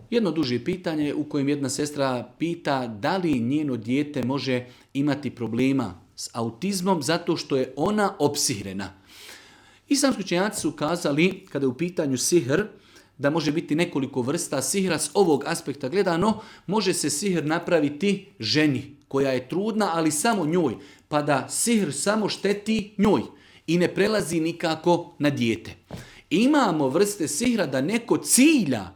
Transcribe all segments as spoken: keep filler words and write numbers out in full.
Jedno duže pitanje u kojem jedna sestra pita da li njeno dijete može imati problema s autizmom zato što je ona opsihrena. Islamski učenjaci su kazali, kada je u pitanju sihr, da može biti nekoliko vrsta sihra. S ovog aspekta gledano, može se sihr napraviti ženi koja je trudna, ali samo njoj, pa da sihr samo šteti njoj i ne prelazi nikako na dijete. Imamo vrste sihra da neko cilja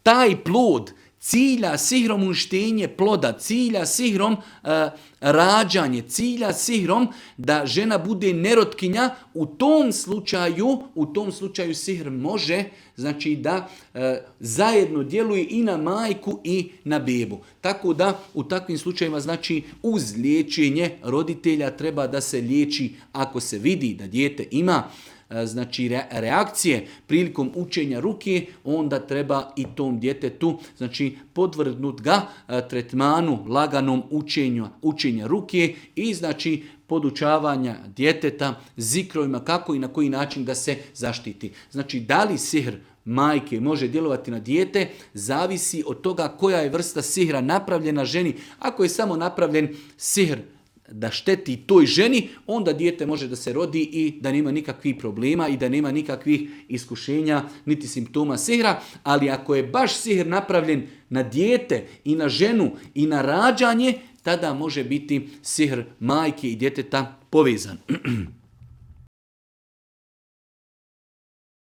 taj plod, cilja sihrom uništenje ploda, cilja sihrom uh, rađanje, cilja sihrom da žena bude nerotkinja. U tom slučaju, u tom slučaju sihr može, znači da uh, zajedno djeluje i na majku i na bebu. Tako da u takvim slučajevima, znači uz liječenje roditelja treba da se liječi ako se vidi da dijete ima znači reakcije prilikom učenja ruke, onda treba i tom djetetu znači podvrgnut ga tretmanu laganom učenju, učenja ruke i znači podučavanja djeteta zikrovima kako i na koji način da se zaštiti. Znači da li sihr majke može djelovati na dijete, zavisi od toga koja je vrsta sihra napravljena ženi. Ako je samo napravljen sihr da šteti toj ženi, onda dijete može da se rodi i da nema nikakvih problema i da nema nikakvih iskušenja niti simptoma sihra, ali ako je baš sihr napravljen na dijete i na ženu i na rađanje, tada može biti sihr majke i djeteta povezan.